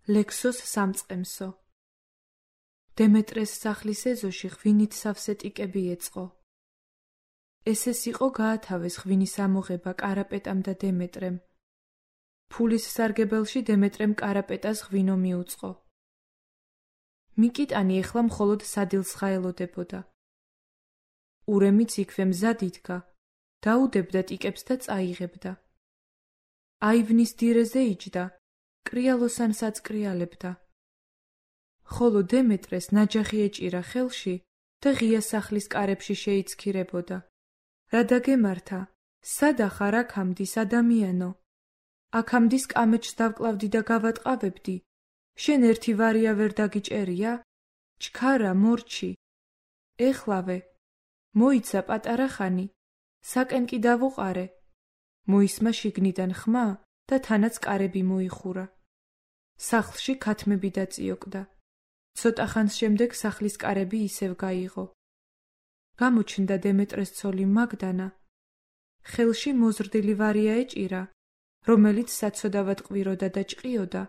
ლექსოს სამწყემსო. დემეტრეს სახლის ეზოში ღვინით სავსე ტიკები ეწყო. ესეს იყო გაათავეს ღვინის ამოღება კარაპეტამ და დემეტრემ. ფულის სარგებელში დემეტრემ კარაპეტას ღვინო მიუწყო. მიკიტანი ეხლა მხოლოდ სადილსხა ელოდებოდა. ურემიც იქვე მზად იდგა, დაუდებდა ტიკებს და წაიღებდა. აივნის დირეზე იჯდა, კრიალოსან საწკრიალებდა. ხოლო დემეტრეს ნაჯახი ეჭირა ხელში და ღია სახლის კარებში შეიცქირებოდა. რა დაგემართა, სადა ხარ აქამდის ადამიანო? აქამდის კამეჩს დავკლავდი და გავატყავებდი. შენ ერთი ვარია ვერ დაგიჭერია? ჩქარა მორჩი. ეხლავე, მოიცა პატარა ხანი, საკენ კი დავუყარე. მოისმა შიგნიდან ხმა და თანაც კარები მოიხურა. სახლში ქათმები დაწიოკდა. ცოტა ხანს შემდეგ სახლის კარები ისევ გაიღო. გამოჩნდა დემეტრეს ცოლი მაგდანა. ხელში მოზრდილი ვარია ეჭირა, რომელიც საცოდავად ყვიროდა და ჭყიოდა,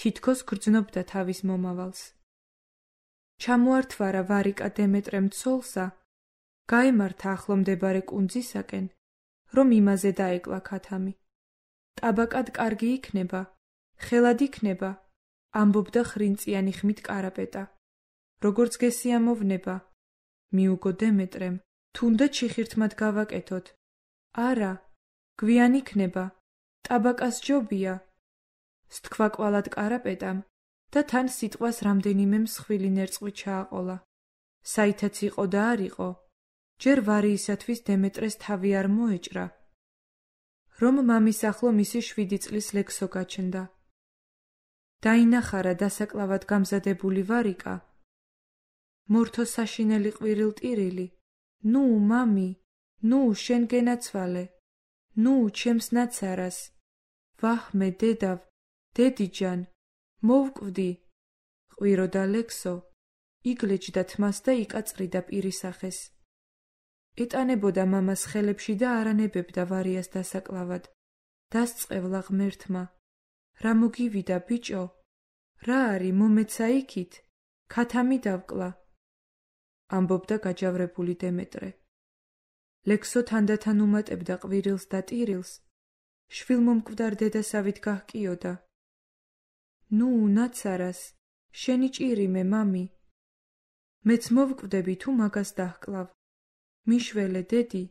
თითქოს გრძნობდა თავის მომავალს. ჩამოართვარა ვარიკა დემეტრემ ცოლსა, გაემართა ახლომდებარე კუნძისაკენ, რომ იმაზე დაეკლა ქათამი. ტაბაკად კარგი იქნება, ხელად იქნება, ამბობდა ხრინწიანი ხმით კარაპეტა. როგორც გესიამოვნება, მიუგო დემეტრემ, თუნდაც შიხირთმად გავაკეთოთ. არა, გვიან იქნება, ტაბაკას ჯობია. სთქვა კვალად კარაპეტამ და თან სიტყვას რამდენიმე მსხვილი ნერწყვი ჩააყოლა. საითაც იყო და არ იყო, ჯერ ვარიისათვის დემეტრეს თავი არ მოეჭრა. რომ მამის ახლო მისი 7 წლის ლექსო გაჩნდა. დაინახარა დასაკლავად გამზადებული ვარიკა. მორთო საშინელი ყვირილტირილი. ნუ, მამი, ნუ, შენ გენაცვალე. ნუ, ჩემს ნაცარას. ვაჰმე, დედავ, დედიჯან, მოვკვდი. ყვიროდა ლექსო, იგლეჯდა თმას და იკაწრიდა პირისახეს. ეტანებოდა მამას ხელებში და არანებებდა ვარიას დასაკლავად. დასწყევლა ღმერთმა. რა მოგივიდა, ბიჭო? რა არის, მომეცა იქით? ქათამი დავკლა. ამბობდა გაჯავრებული დემეტრე. ლექსო თანდათან უმატებდა ყვირილს და ტირილს. შვილმომკვდარ დედასავით გაჰკიოდა. ნუ, ნაცარას, შენი ჭირიმე, მამი. მეც მოვკვდები თუ მაგას დაჰკლავ. მიშველე, დედი,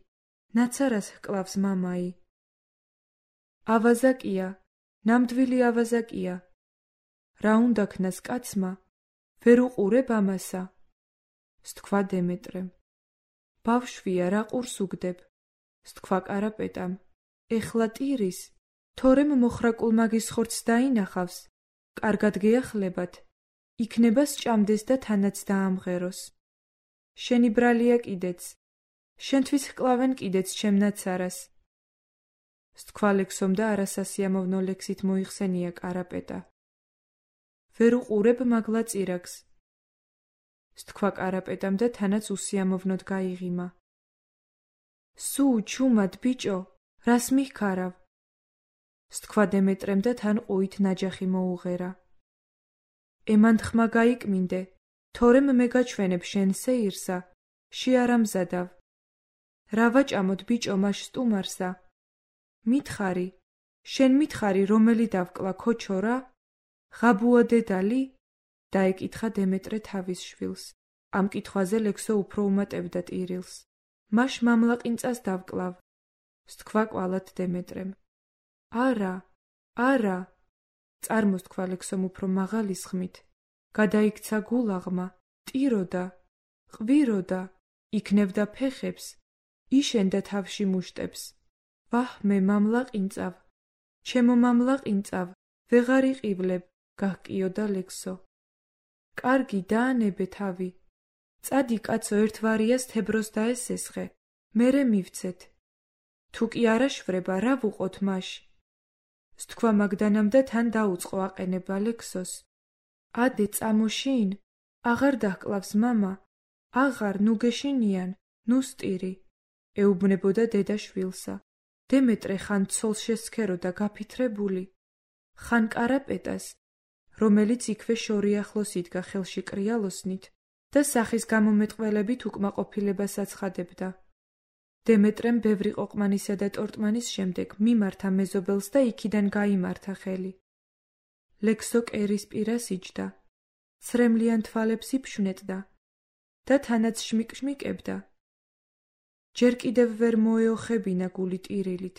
ნაცარას ჰკლავს მამაი. ავაზაკია, ნამდვილი ავაზაკია. რა უნდა ქნას კაცმა, ვერ უყურებ ამასა. სთქვა დემეტრემ. ბავშვია, რა ყურს უგდებ. სთქვა კარაპეტამ. ეხლა ტირის, თორემ მოხრაკულ მაგის ხორცს დაინახავს, კარგად გეახლებათ, იქნება სჭამდეს და თანაც დაამღეროს. შენი ბრალია კიდეც, შენთვის ჰკლავენ კიდეც ჩემ ნაცარას. სთქვა ლექსომ და არასასიამოვნო ლექსით მოიხსენია კარაპეტა. ვერ უყურებ მაგლა წირაკს. სთქვა კარაპეტამ და თანაც უსიამოვნოდ გაიღიმა. სუ, ჩუმად, ბიჭო, რას მიხქარავ? სთქვა დემეტრემ და თან ყუით ნაჯახი მოუღერა. ემანდ ხმა გაიკმინდე, თორემ მე გაჩვენებ შენ სეირსა, შეარამზადავ. რა ვაჭამოთ ბიჭო მაშ სტუმარსა? მითხარი, შენ მითხარი რომელი დავკლა ქოჩო რა? ღაბუა დედალი? დაეკითხა დემეტრე თავის შვილს. ამ კითხვაზე ლექსო უფრო უმატებდა ტირილს. მაშ მამლაყინწას დავკლავ. სთქვა კვალად დემეტრემ. არა, არა, წარმოსთქვა ლექსომ უფრო მაღალი სხმით. გადაიქცა გულაღმა, ტიროდა, ყვიროდა, იქნევდა ფეხებს, იშენდა თავში მუშტებს. ვაჰმე, მამლაყინწავ, ჩემო მამლაყინწავ, ვეღარ იყივლებ, გაჰკიოდა ლექსო. კარგი, დაანებე თავი. წადი კაცო, ერთ ვარიას თებროს დაესესხე, მერე მივცეთ. თუ კი არ აშვრება, რა ვუყოთ მაშ? სთქვა მაგდანამ და თან დაუწყო აყენება ლექსოს. ადე, წამოშინ, აღარ დაჰკლავს მამა, აღარ, ნუ გეშინიან, ნუ სტირი. ეუბნებოდა დედა შვილსა. დემეტრე ხან ცოლს შესქეროდა გაფითრებული, ხან კარაპეტას, რომელიც იქვე შორიახლოს იდგა ხელში კრიალოსნით და სახის გამომეტყველებით უკმაყოფილებას აცხადებდა. დემეტრემ ბევრი ყოყმანისა და ტორტმანის შემდეგ მიმართა მეზობელს და იქიდან გაიმართა ხელი. ლექსო კერის პირას იჯდა, ცრემლიან თვალებს იფშვნეტდა და თანაც შმიკშმიკებდა. ჯერ კიდევ ვერ მოეოხებინა გული ტირილით.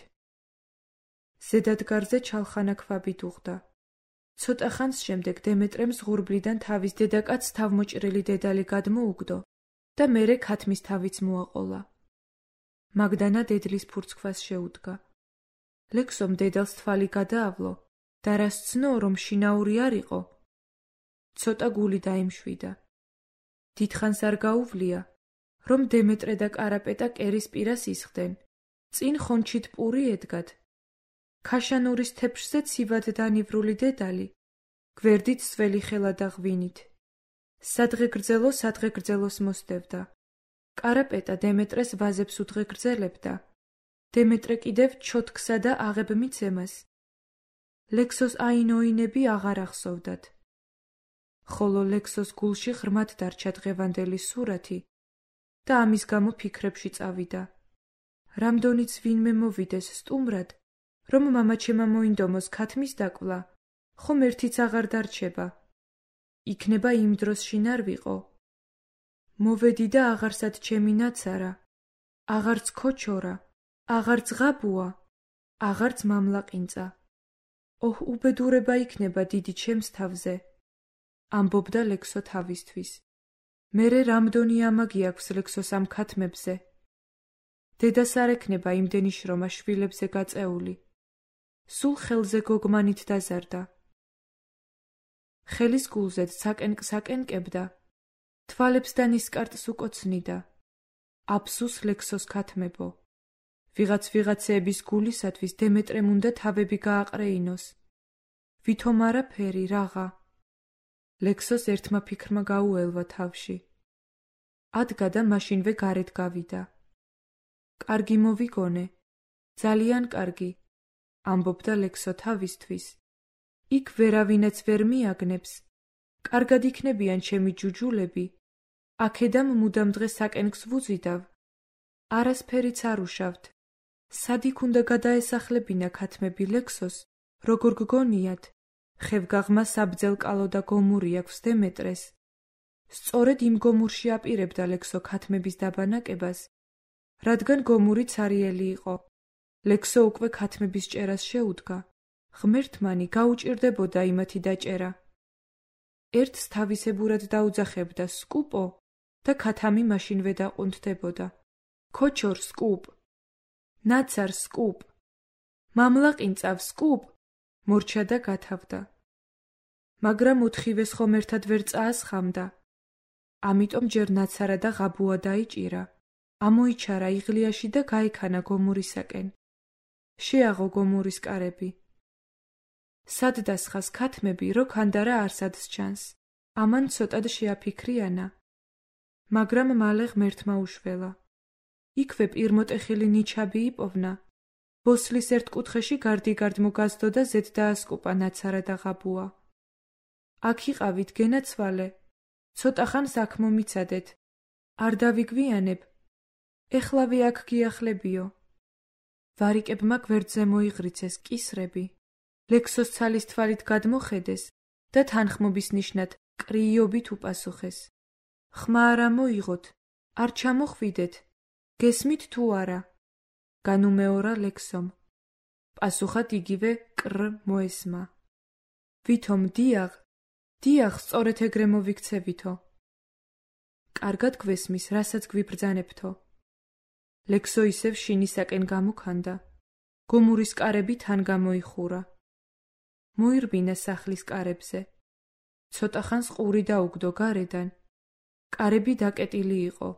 ზედადგარზე ჩალხანა ქვაბი დუღდა. ცოტა ხანს შემდეგ დემეტრემ ზღურბლიდან თავის დედაკაც თავმოჭრილი დედალი გადმოუგდო და მერე ქათმის თავიც მოაყოლა. მაგდანა დედლის ფურცქვას შეუდგა. ლექსომ დედალს თვალი გადაავლო და რას ცნო, რომ შინაური არ იყო. ცოტა გული დაიმშვიდა. დიდხანს არ გაუვლია, რომ დემეტრე და კარაპეტა კერის პირას ისხდნენ. წინ ხონჩით პური ედგათ. ქაშანურის თეფშზე ცივად დანივრული დედალი, გვერდით სველი ხელა და ღვინით. სადღე გრძელოს მოსდევდა. კარაპეტა დემეტრეს ვაზებს უდღე გრძელებდა. დემეტრე კიდევ ჩოთქსა და აღებ მიცემას. ლექსოს აინოინები აღარ ახსოვდათ. ხოლო ლექსოს გულში ღრმად დარჩა დღევანდელი სურათი და ამის გამო ფიქრებში წავიდა. რამდენიც ვინმე მოვიდეს სტუმრად, რომ მამაჩემა მოინდომოს ქათმის დაკვლა, ხომ ერთიც აღარ დარჩება. იქნება იმ დროს შინარ ვიყო. მოვედი და აღარსად ჩემი ნაცარა, აღარც ქოჩორა, აღარც ღაბუა, აღარც მამლაყინწა. ოჰ, უბედურება იქნება დიდი ჩემს თავზე, ამბობდა ლექსო თავისთვის. მერე რამდენი ამაგი აქვს ლექსოს ამ ქათმებზე. დედას არ ექნება იმდენი შრომა შვილებზე გაწეული. სულ ხელზე გოგმანით დაზარდა. ხელის გულზედ საკენკსაკენკებდა, თვალებს და ნისკარტს უკოცნიდა. აფსუს ლექსოს ქათმებო. ვიღაცეების გულისათვის დემეტრემ უნდა თავები გააყრეინოს. ვითომ არაფერი რაღა. ლექსოს ერთმა ფიქრმა გაუელვა თავში. ადგა და მაშინვე გარეთ გავიდა. კარგი მოვიგონე, ძალიან კარგი, ამბობდა ლექსო თავისთვის. იქ ვერავინაც ვერ მიაგნებს. კარგად იქნებიან ჩემი ჯუჯულები. აქედამ მუდამ დღეს საკენკს ვუზიდავ. არასფერიც არ უშავთ. სად იქ უნდა გადაესახლებინა ქათმები ლექსოს, როგორ გგონიათ, ხევგაღმა საბძელ კალო და გომური აქვს დემეტრეს. სწორედ იმ გომურში აპირებდა ლექსო ქათმების დაბანაკებას, რადგან გომური ცარიელი იყო. ლექსო უკვე ქათმების ჭერას შეუდგა. ღმერთმანი გაუჭირდებოდა იმათი დაჭერა. ერთს თავისებურად დაუძახებდა სკუპო და ქათამი მაშინვე დაყუნთდებოდა. ქოჩორ სკუპ, ნაცარ სკუპ, მამლაყინწავ სკუპ, მორჩა და გათავდა. მაგრამ ოთხივეს ხომ ერთად ვერ წაასხამდა. ამიტომ ჯერ ნაცარა და ღაბუა დაიჭირა. ამოიჩარა იღლიაში და გაიქანა გომურისაკენ. შეაღო გომურის კარები. სად დასხას ქათმები, რო ქანდარა არსადს ჩანს. ამან ცოტად შეაფიქრიანა. მაგრამ მალე ღმერთმა უშველა. იქვე პირმოტეხილი ნიჩაბი იპოვნა. ბოსლის ერთ კუთხეში გარდიგარდ მოგაზდო და ზედ დაასკუპა ნაცარა და ღაბუა. აქ იყავით გენაცვალე. ცოტა ხანს აქ მომიცადეთ. არ დავიგვიანებ. ეხლავე აქ გიახლებიო. ვარიკებმა გვერდზე მოიღრიცეს კისრები. ლექსოს ცალის თვალით გადმოხედეს და თანხმობის ნიშნად კრიიობით უპასუხეს. ხმა არ ამოიღოთ, არ ჩამოხვიდეთ, გესმით თუ არა? განუმეორა ლექსომ. პასუხად იგივე კრ მოესმა. ვითომ დიაღ, სწორედ ეგრე მოვიქცევითო. კარგად გვესმის, რასაც გვიბრძანებთო. ლექსო ისევ შინისაკენ გამოქანდა. გომურის კარები თან გამოიხურა. მოირბინა სახლის კარებზე. ცოტა ხანს ყური დაუგდო გარედან. კარები დაკეტილი იყო.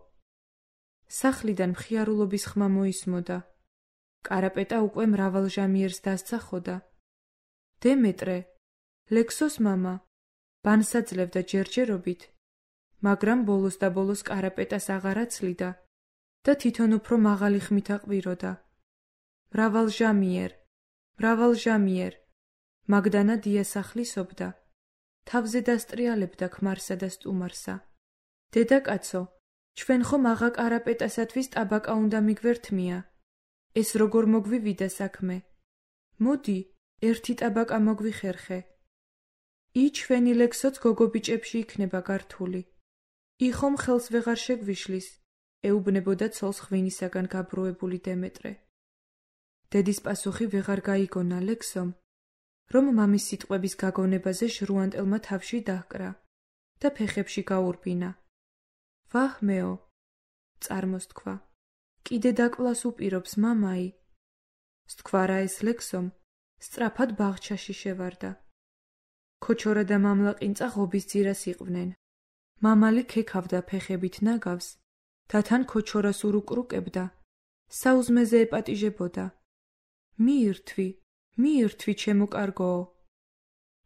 სახლიდან მხიარულობის ხმა მოისმოდა. კარაპეტა უკვე მრავალჟამიერს დასცახოდა. დემეტრე, ლექსოს მამა, ბანს აძლევდა ჯერჯერობით, მაგრამ ბოლოს და ბოლოს კარაპეტას აღარ აცლიდა და თვითონ უფრო მაღალი ხმით აყვიროდა. მრავალჟამიერ, მაგდანა დიასახლისობდა. თავზე დასტრიალებდა ქმარსა და სტუმარსა. დედაკაცო, ჩვენ ხომ აღა კარაპეტასათვის ტაბაკა უნდა მიგვერთმია. ეს როგორ მოგვივიდა საქმე? მოდი, ერთი ტაბაკა მოგვიხერხე. ჩვენი ლექსოც გოგობიჭებში იქნება გართული. ხომ ხელს ვეღარ შეგვიშლის, ეუბნებოდა ცოლს ღვინისაგან გაბრუებული დემეტრე. დედის პასუხი ვეღარ გაიგონა ლექსომ, რომ მამის სიტყვების გაგონებაზე ჟრუანტელმა თავში დაჰკრა და ფეხებში გაურბინა. ვაჰ მეო, წარმოს თქვა, კიდე დაკლას უპირობს მამაი. სთქვა ეს ლექსომ, სწრაფად ბაღჩაში შევარდა. ქოჩორა და მამლაყინწა ღობის ძირას იყვნენ. მამალი ქექავდა ფეხებით ნაგავს და თან ქოჩორას ურუკრუკებდა, საუზმეზე ეპატიჟებოდა. მიირთვი, ჩემო კარგოო.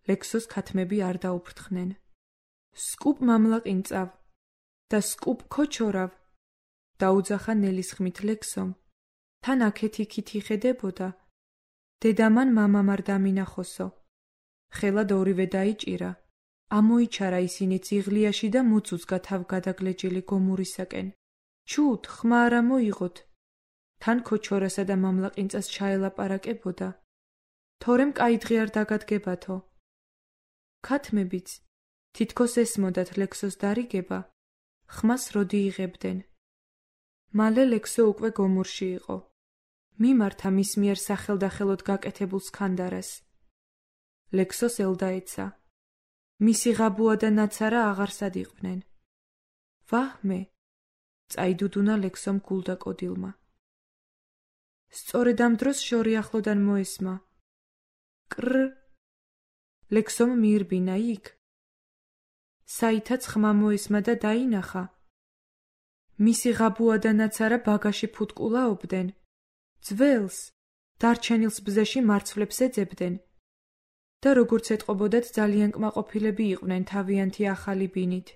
ლექსოს ქათმები არ დაუფრთხნენ. სკუპ მამლაყინწავ და სკუპ ქოჩორავ, დაუძახა ნელის ხმით ლექსომ. თან აქეთ-იქით იხედებოდა. დედამან მამამ არ დამინახოსო. ხელად ორივე დაიჭირა. ამოიჩარა ისინი ძიღლიაში და მუცუცგა თავ გადაგლეჯილი გომურისაკენ. ჩუთ, ხმა არ ამოიღოთ. თან ქოჩორასა და მამლაყინწას ჩაელაპარაკებოდა. თორემ კაი დღე არ დაგადგებათო. ქათმებიც, თითქოს ესმოდათ ლექსოს დარიგება, ხმას როდი იღებდნენ. მალე ლექსო უკვე გომურში იყო. მიმართა მის მიერ სახელდახელოდ გაკეთებულ სქანდარას. ლექსოს ელდაეცა. მისი ღაბუა და ნაცარა აღარსად იყვნენ. ვაჰმე, წაიდუდუნა ლექსომ გულდა კოდილმა. სწორედ ამ დროს შორი ახლოდან მოესმა. კრ. ლექსომ მიირბინა იქ. საითაც ხმა მოესმა და დაინახა. მისი ღაბუა და ნაცარა ბაგაში ფუტკულაობდნენ. ძველს, დარჩენილს ბზეში მარცვლებს ეძებდნენ. და როგორც ეტყობოდათ ძალიან კმაყოფილები იყვნენ თავიანთი ახალი ბინით.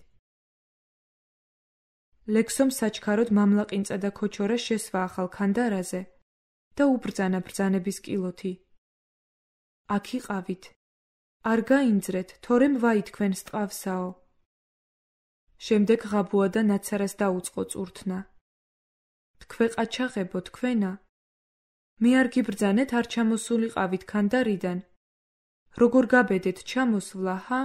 ლექსომ საჩქაროდ მამლაყინწა და ქოჩორა შესვა ახალ ქანდარაზე და უბრძანა ბრძანების კილოთი. აქ იყავით. არ გაინძრეთ, თორემ ვაი თქვენ სტყავსაო. შემდეგ ღაბუა და ნაცარას დაუწყო წურთნა. თქვე ყაჩაღებო თქვენა. მე არ გიბრძანეთ, არ ჩამოსულიყავით ქანდარიდან. როგორ გაბედეთ ჩამოსვლა, ჰა?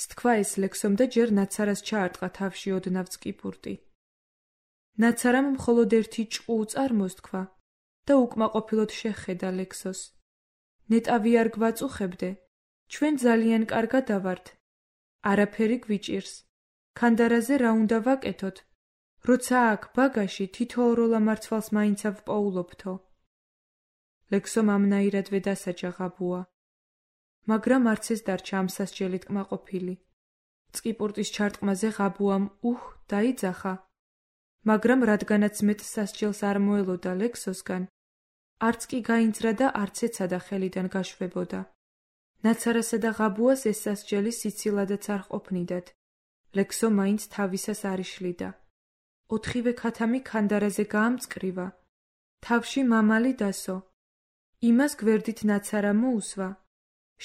სთქვა ეს ლექსომ და ჯერ ნაცარას ჩაარტყა თავში ოდნავ წკიპურტი. ნაცარამ მხოლოდ ერთი ჭყუ წარმოსთქვა და უკმაყოფილოდ შეხედა ლექსოს. ნეტავი არ გვაწუხებდე, ჩვენ ძალიან კარგად ავართ. არაფერი გვიჭირს. ქანდარაზე რა უნდა ვაკეთოთ? როცა აქ ბაგაში თითოეულა მარცვალს მაინც ავპოულობთო. ლექსომ ამნაირად ვედასაჯა ღაბუა. მაგრამ არც ეს დარჩა ამ სასჯელით კმაყოფილი. წკიპურტის ჩარტყმაზე ღაბუამ დაიძახა. მაგრამ რადგანაც მეტ სასჯელს არ მოელოდა ლექსოსგან, არც კი გაინძრა და არც ეცადა ხელიდან გაშვებოდა. ნაცარასა და ღაბუას ეს სასჯელი სიცილადაც არ ყოფნიდათ. ლექსო მაინც თავისას არ იშლიდა. ოთხივე ქათამი ქანდარაზე გაამწკრივა. თავში მამალი დასო. იმას გვერდით ნაცარა მოუსვა.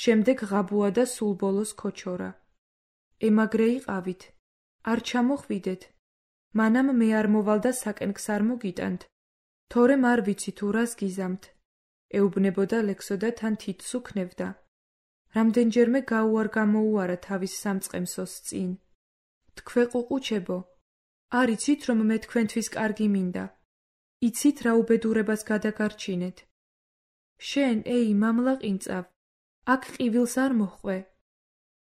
შემდეგ ღაბუა და სულ ბოლოს ქოჩორა. ემაგრე იყავით. არ ჩამოხვიდეთ. მანამ მე არ მოვალ და საკენკს არ მოგიტანთ. თორემ არ ვიცი თუ რას გიზამთ. ეუბნებოდა ლექსო და თან თითს უქნევდა. რამდენჯერმე გაუარ გამოუარა თავის სამწყემსოს წინ. თქვე ყუყუჩებო, არ იცით რომ მე თქვენთვის კარგი მინდა. იცით რა უბედურებას გადაგარჩინეთ. შენ, მამლაყინწავ, აქ ყივილს არ მოჰყვე.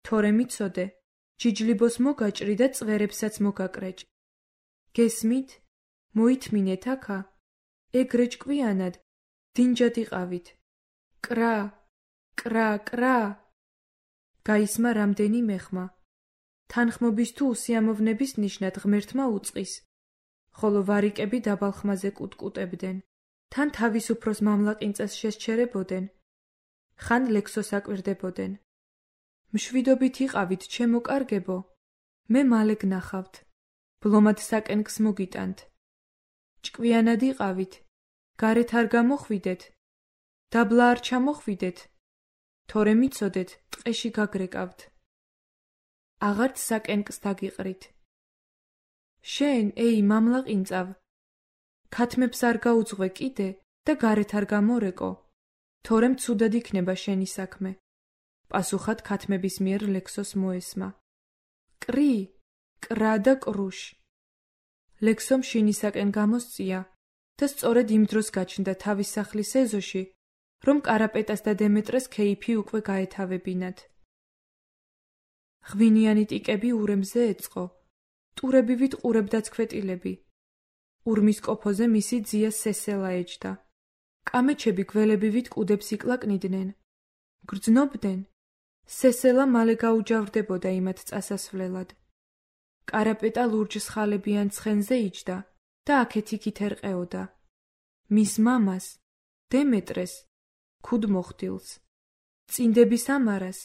თორემ იცოდე, ჯიჯლიბოს მოგაჭრი და წვერებსაც მოგაკრეჭ. გესმით? მოითმინეთ აქა. ეგრე ჭკვიანად, დინჯად იყავით. კრა, კრა, კრა. გაისმა რამდენიმე ხმა. თანხმობის თუ უსიამოვნების ნიშნად ღმერთმა უწყის, ხოლო ვარიკები დაბალ ხმაზე კუტკუტებდნენ. თან თავის უფროს მამლაყინწას შესჩერებოდნენ. ხან ლექსოს აკვირდებოდნენ. მშვიდობით იყავით, ჩემო კარგებო, მე მალე გნახავთ. ბლომად საკენკს მოგიტანთ. ჭკვიანად იყავით, გარეთ არ გამოხვიდეთ. დაბლა არ ჩამოხვიდეთ. თორემ იცოდეთ, ტყეში გაგრეკავთ. აღარც საკენკს დაგიყრით. შენ, ეი, მამლაყინწავ, ქათმებს არ გაუძღვე კიდე და გარეთ არ გამორეკო, თორემ ცუდად იქნება შენი საქმე. პასუხად ქათმების მიერ ლექსოს მოესმა. კრი, კრა და კრუშ. ლექსომ შინისაკენ გამოსწია და სწორედ იმ დროს გაჩნდა თავის სახლის ეზოში, რომ კარაპეტას და დემეტრეს ქეიფი უკვე გაეთავებინათ. ღვინიანი ტიკები ურემზე ეწყო, ტურებივით ყურებდაცქვეტილები. ურმის კოფოზე მისი ძია სესელა ეჯდა. კამეჩები გველებივით კუდებს იკლაკნიდნენ. გრძნობდნენ. სესელა მალე გაუჯავრდებოდა იმათ წასასვლელად. კარაპეტა ლურჯ სხალებიან ცხენზე იჯდა და აქეთ-იქით ერყეოდა. მის მამას, დემეტრეს, ქუდ მოხდილს, წინდების ამარას.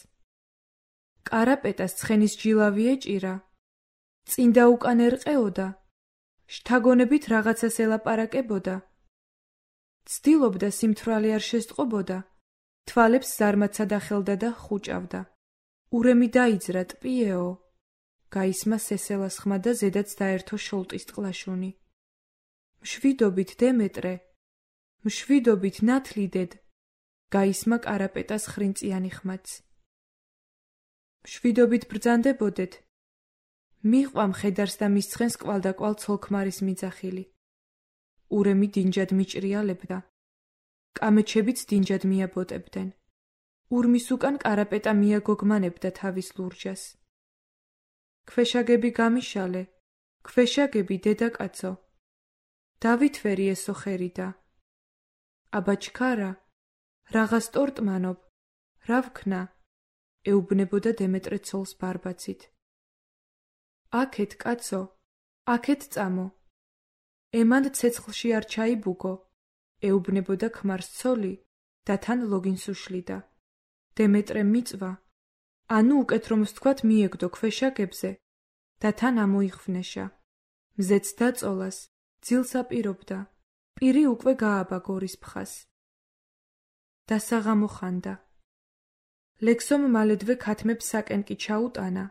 კარაპეტას ცხენის ჯილავი ეჭირა, წინდა უკან ერყეოდა, შთაგონებით რაღაცას ელაპარაკებოდა. ცდილობდა სიმთვრალე არ შესტყობოდა, თვალებს ზარმაცად ახელდა და ხუჭავდა. ურემი დაიძრა ტპიეო, გაისმა სესელას ხმა და ზედაც დაერთო შოლტის ტყლაშუნი. მშვიდობით დემეტრე, მშვიდობით ნათლიდედ, გაისმა კარაპეტას ხრინწიანი ხმაც. მშვიდობით ბრძანდებოდეთ, მიყვა მხედარს და მის ცხენს კვალდაკვალ ცოლქმარის მიძახილი. ურემი დინჯად მიჭრიალებდა. კამეჩებიც დინჯად მიაბოტებდნენ. ურმის უკან კარაპეტა მიაგოგმანებდა თავის ლურჯას. ქვეშაგები გამიშალე, ქვეშაგები დედაკაცო. დავითვერი ესო ხერიდა. აბა ჩქარა, რაღაც ტორტმანობ, რა ვქნა, ეუბნებოდა დემეტრე ცოლს ბარბაცით. აქეთ, კაცო, აქეთ წამო. ემან ცეცხლში არ ჩაიბუგო, ეუბნებოდა ქმარს ცოლი და თან ლოგინს უშლიდა. დემეტრე მიწვა, ანუ უკეთ რომ ვთქვათ მიეგდო ქვეშაგებზე და თან ამოიხვნეშა. მზეც დაწოლას, ძილს აპირობდა, პირი უკვე გააბა გორის ფხას. დასაღამო ხანდა. ლექსომ მალედვე ქათმებს საკენკი ჩაუტანა.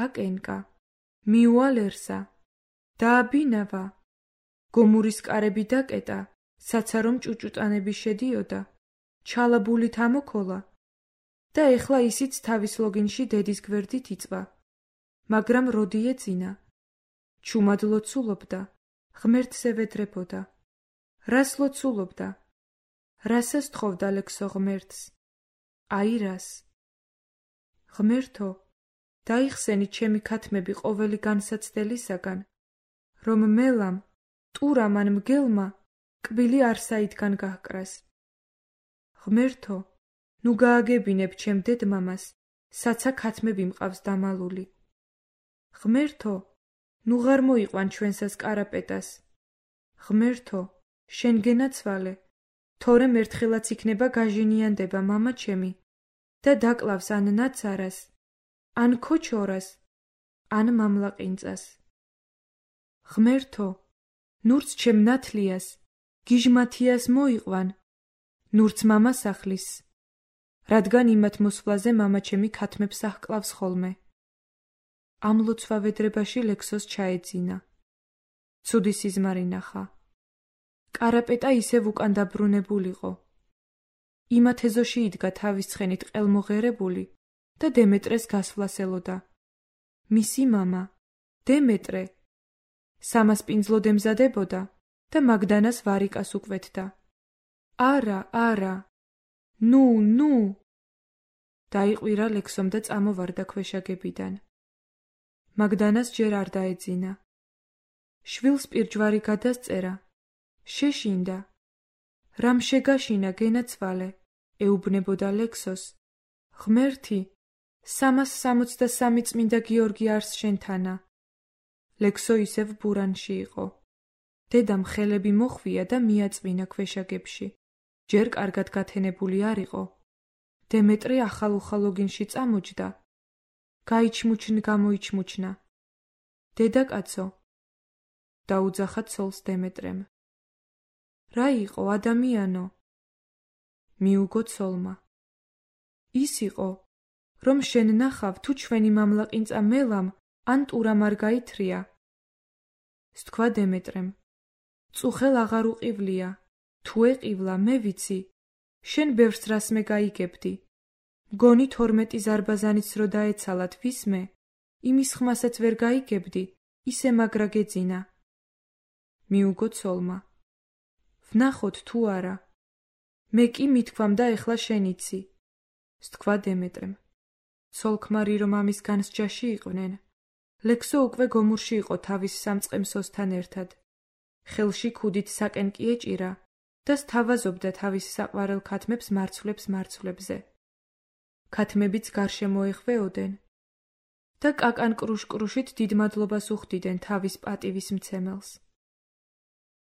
აკენკა, მიუალერსა, დააბინავა. გომურის კარები დაკეტა, საცარომ ჭუჭუტანები შედიოდა, ჩალაბულით ამოქოლა და ეხლა ისიც თავის ლოგინში დედის გვერდით იწვა. მაგრამ როდი ეძინა? ჩუმად ლოცულობდა, ღმერთს ევედრებოდა. რას ლოცულობდა? რასას თხოვდა ლექსო ღმერთს? აი რას? ღმერთო, დაიხსენი ჩემი ქათმები ყოველი განსაცდელისაგან, რომ მელამ, ტურამ ან მგელმა კბილი არსაითგან გაჰკრას. ღმერთო, ნუ გააგებინებ ჩემ დედმამას, საცა ქათმები მყავს დამალული. ღმერთო, ნუ ღარ მოიყვან ჩვენსას კარაპეტას. ღმერთო, შენ გენაცვალე, თორემ ერთხელაც იქნება გაჟინიანდება მამა ჩემი და დაკლავს ან ნაცარას, ან ქოჩორას, ან მამლაყინწას. ღმერთო, ნურც ჩემ ნათლიას, გიჟმათიას მოიყვან, ნურც მამას ახლის, რადგან იმათ მოსვლაზე მამა ჩემი ქათმებს აჰკლავს ხოლმე. ამ ლოცვავედრებაში ლექსოს ჩაეძინა. ცუდი სიზმარი ნახა. კარაპეტა ისევ უკან დაბრუნებულიყო. იმათ ეზოში იდგა თავის ცხენით ყელმოღერებული და დემეტრეს გასვლას ელოდა. მისი მამა, დემეტრე, სამასპინძლოდ ემზადებოდა და მაგდანას ვარიკას უკვეთდა. არა, არა, ნუ, ნუ. დაიყვირა ლექსომ და წამოვარდა ქვეშაგებიდან. მაგდანას ჯერ არ დაეძინა. შვილს პირჯვარი გადასწერა. შეშინდა. რამ შეგაშინა გენაცვალე, ეუბნებოდა ლექსოს. ღმერთი, 363 წმინდა გიორგი არს შენთანა. ლექსო ისევ ბურანში იყო. დედამ ხელები მოხვია და მიაწვინა ქვეშაგებში. ჯერ კარგად გათენებული არ იყო. დემეტრე ახალ-უხალ ლოგინში წამოჯდა. გამოიჩმუჩნა. დედაკაცო, დაუძახა ცოლს დემეტრემ. რა იყო ადამიანო? მიუგო ცოლმა. ის იყო, რომ შენ ნახავ თუ ჩვენი მამლაყინწა მელამ ან ტურამ არ გაითრია. სთქვა დემეტრემ, წუხელ აღარ უყივლია, თუ ეყივლა, მე ვიცი, შენ ბევრს რასმე გაიგებდი. მგონი 12 ზარბაზანიც რო დაეცალათ ვისმე, იმის ხმასაც ვერ გაიგებდი, ისე მაგრა გეძინა. მიუგო ცოლმა, ვნახოთ თუ არა. მე კი მithქვამ და ეხლა შენიცი. სთქვა დემეტრემ. ცოლ-ქმარი რომ ამის განსჯაში იყვნენ, ლექსო უკვე გომურში იყო თავის სამწყემსოსთან ერთად. ხელში ქუდით საკენ კი ეჭირა და სთავაზობდა თავის საყვარელ ქათმებს მარცვლებზე. ქათმებიც გარშემო ეხვეოდენ და კაკან კრუშკრუშით დიდ მადლობას უხდიდნენ თავის პატივის მცემელს.